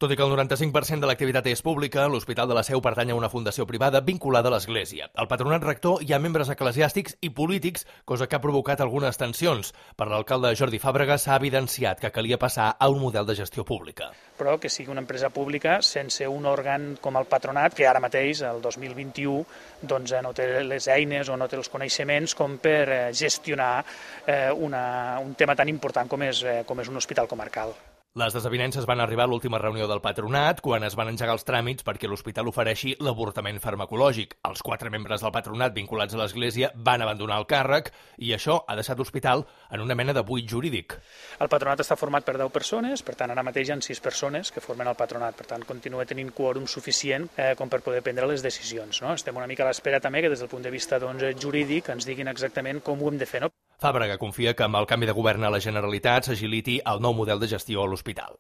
Tot i que el 95% de l'activitat és pública, l'Hospital de la Seu pertany a una fundació privada vinculada a l'Església. Al patronat rector hi ha membres eclesiàstics i polítics, cosa que ha provocat algunes tensions. Per l'alcalde Jordi Fàbrega s'ha evidenciat que calia passar a un model de gestió pública. Però que sigui una empresa pública sense un òrgan com el patronat, que ara mateix, el 2021, no té les eines o no té els coneixements com per gestionar un tema tan important com és un hospital comarcal. Les desavinences van arribar a l'última reunió del patronat quan es van engegar els tràmits perquè l'hospital ofereixi l'avortament farmacològic. Els 4 membres del patronat vinculats a l'Església van abandonar el càrrec i això ha deixat l'hospital en una mena de buit jurídic. El patronat està format per 10 persones, per tant ara mateix hi ha 6 persones que formen el patronat, per tant continua tenint quòrum suficient com per poder prendre les decisions. Estem una mica a l'espera també que des del punt de vista jurídic ens diguin exactament com ho hem de fer. Fàbrega confia que amb el canvi de govern a la Generalitat s'agiliti el nou model de gestió a l'hospital.